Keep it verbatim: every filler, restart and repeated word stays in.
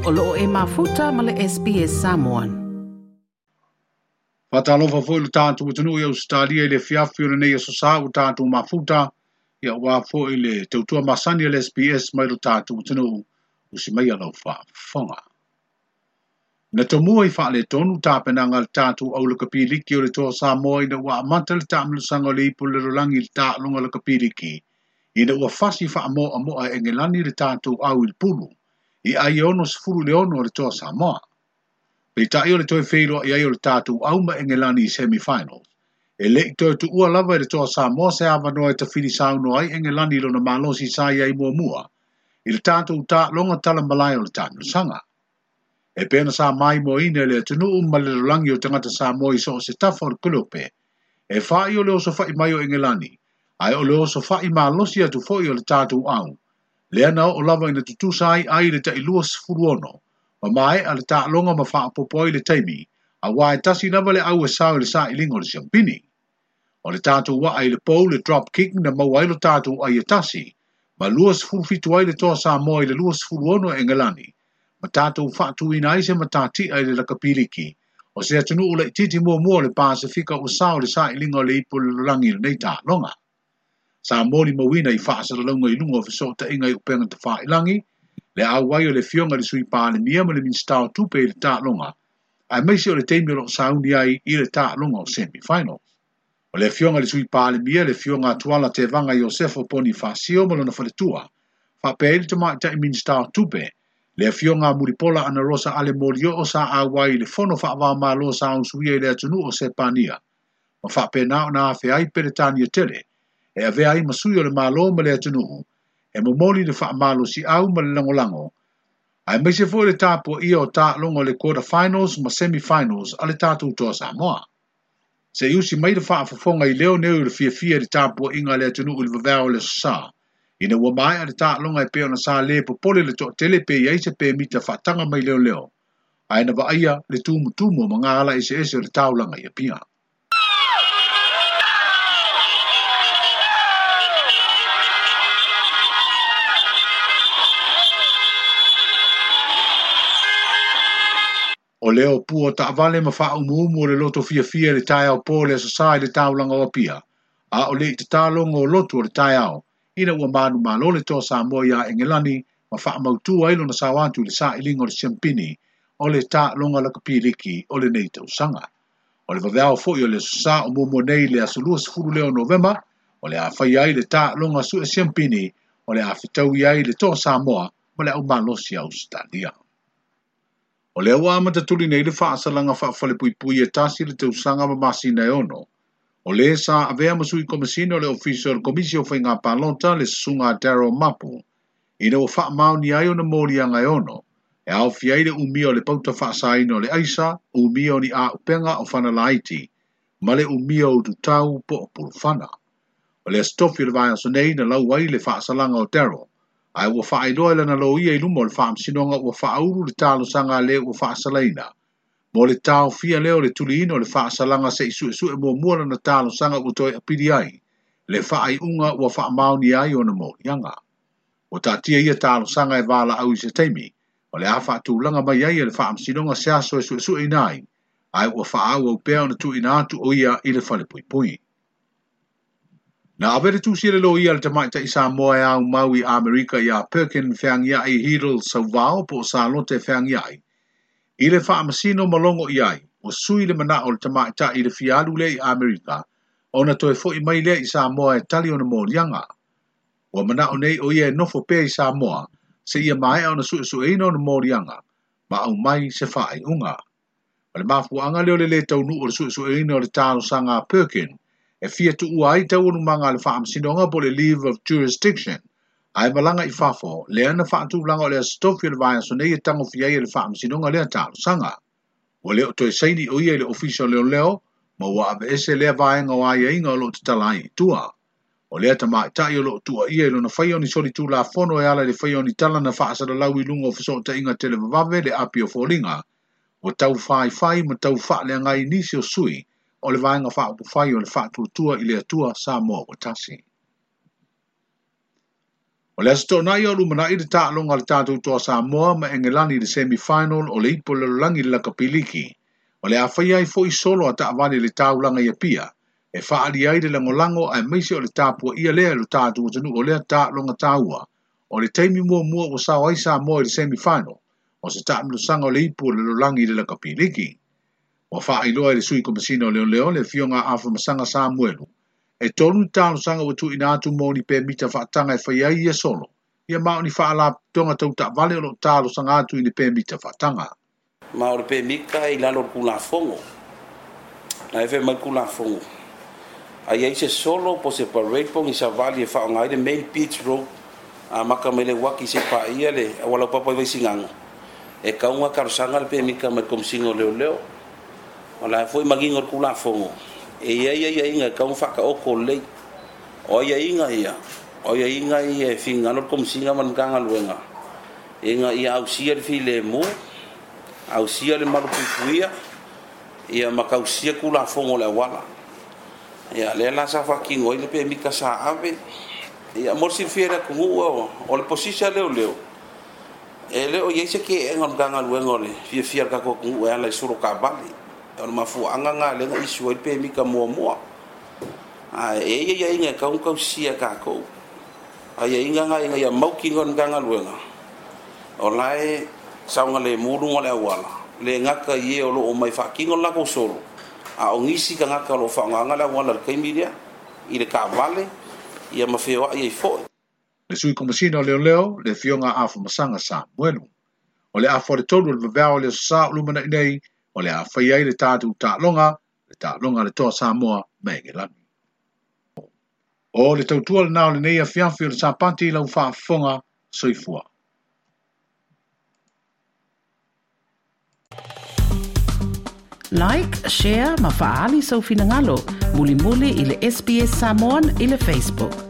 O loo e mafuta ma le S B S Samoan. Fatalofa foi le tātou atunuu i Australia i le fiafi o lenei aso sa ua tātou mafuta, ia ua foi le tautua masani a le S B S mai lo tātou atunuu, usi mai lau faafofoga. Na tomua i faaletonu tapenaga a le tātou au lakapiliki o le toa Samoa ina ua amata le taamilosaga o le ipu o le lalolagi i le taaloga lakapiliki, ina ua fasi faamoamoa e Engelani le tātou au i le pulu, i ai e ono sefulu le ono o le toa Samoa. Peitai o le toe feiloa i ai o le tātou au ma Engelani i semi-finals. E lei toe tuua lava i le toa Samoa se avanoa e tafili saunoa ai Engelani i lona malosi sa i ai muamua, i le tātou taaloga talamalae o le taamilosaga. E pena sa mai moaina le atunuu ma le lalolagi o tagata Samoa i so o se tafa o le kolope. E fai o le oso fai mai o Engelani, ae o le oso fai malosi atu foi o le tātou au. Lea na oo lava ina tutusa ai ai le tailua sefulu ono, ma maea le taaloga ma faapopo ai le taimi, auā e tasi lava le au e sao i le sailiga o le siampini. O le tātou waa i le pou le drop kick na maua ai lo tātou ai e tasi, ma lua sefulu fitu ai le toa Samoa i le lua sefulu ono e Engelani, ma tātou faatuina ai se matatia i le lakapiliki, o se atunuu laitiiti muamua o le Pasifika ua sao i le sailiga o le ipu o le lalolagi i lenei taaloga. Sa molimauina i faasalalauga i luga o fesootaiga i upega tafailangi, le auai o le Afioga i le Sui Palemia ma le Minisita o Tupe i le taaloga, aemaise o le taimi o loo sauni ai i le taaloga o semi-finals. O le Afioga i le Sui Palemia, le Afioga Tuala Tevaga Iosefo Ponifasio ma lona faletua, faapea ai le tamaitai Minisita o Tupe, le Afioga Mulipola Ana Rosa Ale Molioo sa auai i le fono faavao-malo sa usuia i le atunuu o Sepania, ma faapena ona afe ai Peretania tele, e avea ai ma sui o le Malo ma le atunuu, e momoli le faamalosiau ma le lagolago, aemaise foi le tapuaia o taaloga o le quarter finals ma semi-finals a le tātou toa Samoa. Se i usi mai le faafofoga i leo nei o le fiafia i le tapuaiga a le atunuu i le vavea o le aso sa, ina ua maea le taaloga e pei ona sa le popole le toatele pe i ai se pemita faataga mai leoleo, ae na vaaia le tumutumu o magala eseese o le taulaga i Apia. O leo pua taavale ma faaumuumu o le loto fiafia i le taeao po le aso sa i le taulaga o Apia, a o le i tatalogo o lotu o le taeao, ina ua manumalo le toa Samoa iā Engelani ma faamautu ai lona sao atu i le sailiga o le siampini o le taaloga lakapiliki o lenei tausaga. O le vaveao foi o le aso sa o muamua nei le aso lua sefulu lea o Novema, o le a fai ai le taaloga sue siampini o le a fetaui ai le toa Samoa ma le aumalosi a Australia. O lea ua amata tuli nei le faasalaga faafalepuipui e tasi le tausaga ma masina e ono. O le sa avea ma sui komisina o le ofisa o le Komisi o Faiga Palota le susuga a Daryl Mapu, ina ua faamaoni ai ona moliaga e ono, e aofia ai le umia o le pauta faasaina o le aisa, umia o ni auupega o fanalaiti, ma le umia o ututau po o pulufana. O le aso tofi o le vaiaso nei na lau ai le faasalaga o Daryl, ae ua faailoa i lana loia i luma o le faamasinoga ua faaulu le talosaga a le ua faasalaina. Mo le taofia lea o le tuliina o le faasalaga se i suesue muamua lana talosaga ua toe apili ai, le faaiuga ua faamaoni ai ona moliaga. Ua taatia ia talosaga e valaau i se taimi, o le a faatulaga mai ai e le faamasinoga se aso e suesueina ai, ae ua faaauau pea ona tuuina atu o ia i le falepuipui. Na ave le tusi e le loia le tamaitai Samoa e aumau i Amerika iā Perkin Feagiai Hidel Sauvao po o Salote Feagiai, i le faamasino ma logo i ai, ua sui le manao o le tamaitai i le fia alu lea i Amerika, ona toe foi mai lea i Samoa e tali ona moliaga. Ua manao nei o ia e nofo pea i Samoa, se ia maea ona suesueina ona moliaga, ma aumai se faaiuga. O le mafuaaga lea o le lē taunuu o le suesueina o le talosaga a Perkin, e fia tuua ai taualumaga a le faamasinoga po le leave of jurisdiction, ae malaga i fafo, lea na faatulaga o le aso tofi o le vaiaso nei e tagofia ai e le faamasinoga lea talosaga. Ua le o toe saini o ia i le ofisa o leoleo, ma ua aveese lea vaega o aiaiga o loo tatala ai i tua. O lea tamaitai o loo tuuaia i lona faia o ni solitulafono e ala i le faia o ni tala na faasalalau i luga o fesootaiga televavave le api o foliga, ua tau faifai ma tau faaleagai nisi o sui o le vaega faaupufai o le faatuatua i le Atua Samoa ua tasi. O le aso toonai o lumanai le taaloga a le tatou Toa Samoa ma Engelani i le semi-final o le ipu o le lalolagi i le lakapiliki. O le a faia ai foi solo a taavale i le taulaga i Apia, e faaalia ai le lagolago aemaise o le tapuaia lea e lo tatou atunuu o lea taaloga taua. O le taimi muamua ua sao ai Samoa i le semi-final, o se taamilosaga o le ipu o le lalolagi i le lakapiliki. Ua faailoa e le sui komesina o leoleo le afioga a Afamasaga Samuelu, e tolu ni talosaga ua tuuina atu mo ni pemita faataga e fai ai ia solo, ia ma o ni faalapotopotoga tau taavale o loo talosaga atu i ni pemita faataga. Ma o le pemita i lalo o le Tulafono. Na e fai mai le Tulafono, a i ai se solo po o se parade po o ni savali e faaaoga ai le main beach road amata mai le uaki seia paia le auala laupapa i Vaisigano, e tatau ona talosaga le pemita mai le Komesina o Leoleo. O la foi manino le Tulafono, e i ai aiaiga e tatau ona faataoto lelei. O aiaiga ia, o aiaiga ia e finagalo le Komesina ma le Matagaluega ina ia ausia le filemu, ausia le malupuipuia, ia ma tausia Tulafono o le auala. Ia lea la sa faatino ai le pemita sa ave. Ia mo le silafia e le atunuu, o le posisi a leoleo, e le o i ai se keega o le Matagaluega o le fiafia o le tatou atunuu e ala i solo taavale. O le mafuaaga lena lea na issue ai le pemita muamua. Ae e i ai aiaiga e tatau ona tausia e tatou. Aiaiga na ina ia mautinoa e le Matagaluega o la e saogalemu luga o le auala, le gata i e o loo omai faatino le latou solo, a o nisi tagata o loo faaaogaina le auala i le taimi lea i le taavale ia ma feoai ai foi. Le sui komesina o leoleo, le afioga a Afamasaga Samuelu. O le afa o le tolu o le vaveao o le aso Sa o lumanai nei, o le a fai ai le tatou taaloga, le taaloga a le Toa Samoa ma Engelani. O le tautua lena o lenei afiafi o le Sapati i lau faafofoga, soifua. Like, share ma faaali sou finagalo, mulimuli i le S B S Samoan i le Facebook.